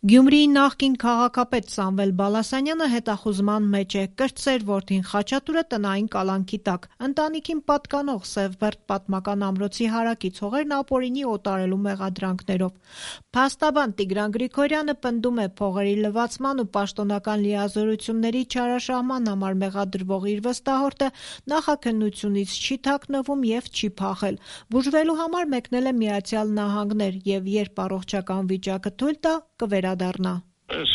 Գյումրիի նախկին քաղաքապետ Սամվել Բալասանյանը հետախուզման մեջ է, կրտսեր որդին Խաչատուրը տնային կալանքի տակ, ընտանիքին պատկանող Սևբերդ պատմական ամրոցի հարակից հողերն ապօրինի օտարելու մեղադրանքներով։ Փաստաբան Տիգրան Գրիգորյանը պնդում է փողերի լվացման ու պաշտոնական լիազորությունների չարաշահման համար մեղադրվող իր վստահորդը նախաքննությունից չի թաքնվում և չի փախել։ Բուժվելու համար մեկնել է Միացյալ Նահանգներ և երբ առողջական վիճակը թույլ տա, կվերադառնա։ Այս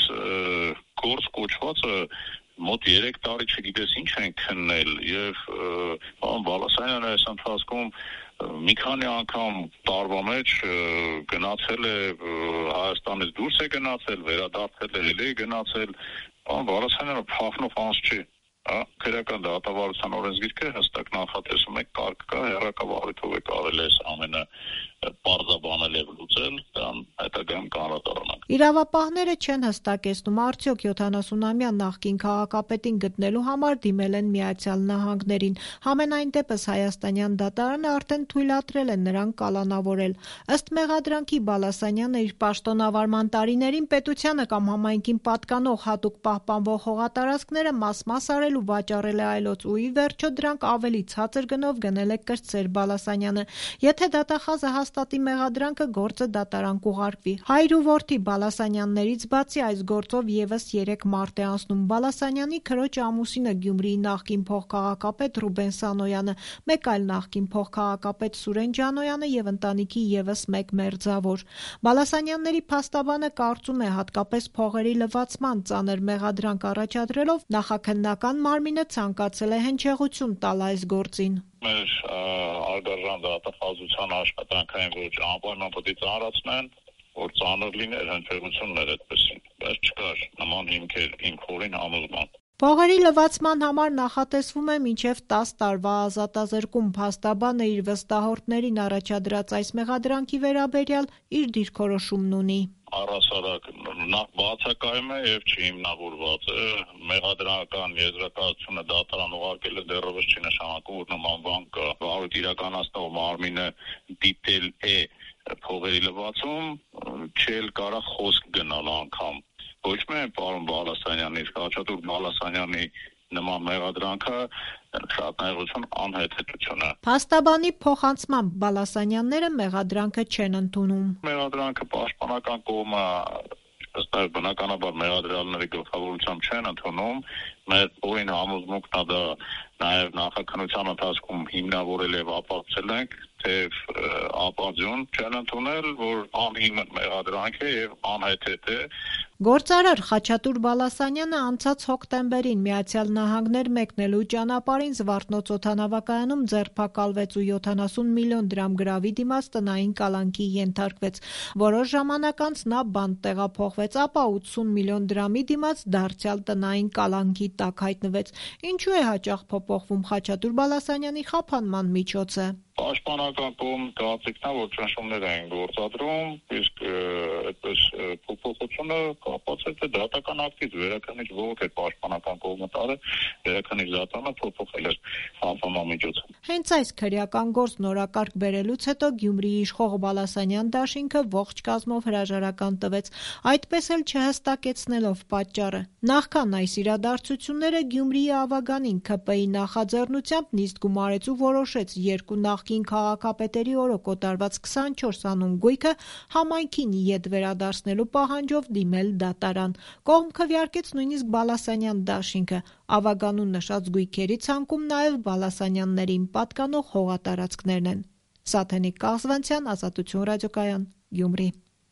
գործ կոչվածը մոտ 3 տարի չգիտես ինչ են քննել եւ պարոն Բալասանյանը այս ընթացքում մի քանի անգամ տարվա մեջ գնացել է Հայաստանից դուրս է գնացել, վերադարձել է, ելի է գնացել։ Պարոն Բալասանյանը փախնող անձ չի։ Քրեական դատավարության օրենսգիրքը հստակ նախատեսում է կարգ կա, հեռակա-վարույթով է կարելի այս ամենը պարզաբանել եւ լուծել, դրան հետագայում կանրադառնանք։ Իրավապահները չեն հստակեցնում, արդյոք 70-ամյա նախկին քաղաքապետին գտնելու համար դիմել են Միացյալ Նահանգներին։ Համենայն դեպս հայաստանյան դատարանը արդեն թույլատրել է նրան կալանավորել։ Ըստ մեղադրանքի Բալասանյանը իր պաշտոնավարման տարիներին պետությանը կամ համայնքին պատկանող հատուկ պահպանվող հողատարածքները մաս-մաս արել ու վաճառել է այլոց ու ի վերջո դրանք ավելի ցածր գնով գնել է կրտսեր Բալասանյանը։ Եթե դատախազը հաստատի մեղադրանքը, գործը դատարան կուղարկվի։ Հայր ու որդի Բալասանյաններից բացի այս գործով եւս 3 մարդ է անցնում Բալասանյանի քրոջ ամուսինը Գյումրիի նախկին փոխքաղաքապետ Ռուբեն Սանոյանը, մեկ այլ նախկին փոխքաղաքապետ Սուրեն Ջանոյանը եւ ընտանիքի եւս մեկ մերձավոր։ Բալասանյանների փաստաբանը կարծում է հատկապես փողերի լվացման ծանր մեղադրանք առաջադրելով նախաքննական մարմինը ցանկացել է հնչեղություն տալ այս գործին։ Մեր արգարժան դատախազության աշխատանքային ոճը անպայման պետք է ծանրացնեն, որ ծանր լիներ հնչեղություններ այդպեսին, բայց չկար նման հիմքեր իմ խորին համոզման։ Փողերի լվացման համար նախատեսվում է մինչև 10 տարվա ազատազրկում։ Փաստաբանը իր վստահորդներին առաջադրած այս մեղադրանքի վերաբերյալ իր դիրքորոշումն ունի։ Առհասարակ նախ բացակայում է եւ չհիմնավորված է մեղադրանական եզրակացությունը դատարան ուղարկել է դեռևս չի նշանակում որ նման բան կա վարույթ իրականացնող մարմինը դիտել է փողերի լվացում չել կարա խոսք գնալ անգամ ոչ միայն պարոն Բալասանյանի Խաչատուր Բալասանյանի նման մեղադրանքը շատ նայողություն անհետեթություն է։ Փաստաբանի փոխանցմամբ Բալասանյանները մեղադրանքը չեն ընդունում։ Մեղադրանքը պաշտպանական կողմը ըստ բնականաբար մեղադրյալների գլխավորությամբ չեն ընդունում։ Մեր օրին համոզմունքն է դա նաև նախաքննության ընթացքում հիմնավորել եւ ապացուցել ենք, թե ապազյուն չեն ընդունել, որ անհիմն մեղադրանք է եւ անհեթեթ է։ Գործարար Խաչատուր Բալասանյանը անցած հոկտեմբերին Միացյալ Նահանգներ մեկնելու ճանապարհին Զվարթնոց օդանավակայանում ձերբակալվեց ու 70 միլիոն դրամ գրավի դիմաց տնային կալանքի ենթարկվեց։ Որոշ ժամանակ անց նա բանտ տեղափոխվեց, ապա 80 միլիոն դրամի դիմաց դարձյալ տնային կալանքի տակ հայտնվեց։ Ինչու է հաճախ փոփոխվում Խաչատուր Բալասանյանի խափանման միջոցը։ Պաշտպանական կողմ կարծիքն է, որ ճնշումներ են գործադրում, իսկ այդպես փոփոխությունը կապված է դատական ակտից, վերաքննիչ ողոք է պաշտպանական կողմը տարել, վերաքննիչ դատարանը փոփոխել է խափանման միջոցը։ Հենց այս քրեական գործ նորակարգ բերելուց հետո Գյումրիի իշխող Բալասանյան դաշինքը ողջ կազմով հրաժարական տվեց, այդպես էլ չհստակեցնելով պատճառը։ Նախքան այս իրադարձությունները Գյումրիի Ավագանին ՔՊ-ի նախաձեռնությամբ նիստ գումարեց ու որոշեց երկու նախկին քաղաքապետերի օրոք կոտրված 24 անուն գույքը համայնքին ետ վերադարձնելու պահանջով դիմել դատարան։ Կողմ քվեարկեց նույնիսկ Բալասանյան դաշինքը։ Ավագանուն նշած գույքերի ցանկում նաև Բալասանյաններին պատկանող հողատարածքներն են։ Սաթենիկ Կաղզվանցյան, Ազատություն ռադիոկայան, Գյումրի։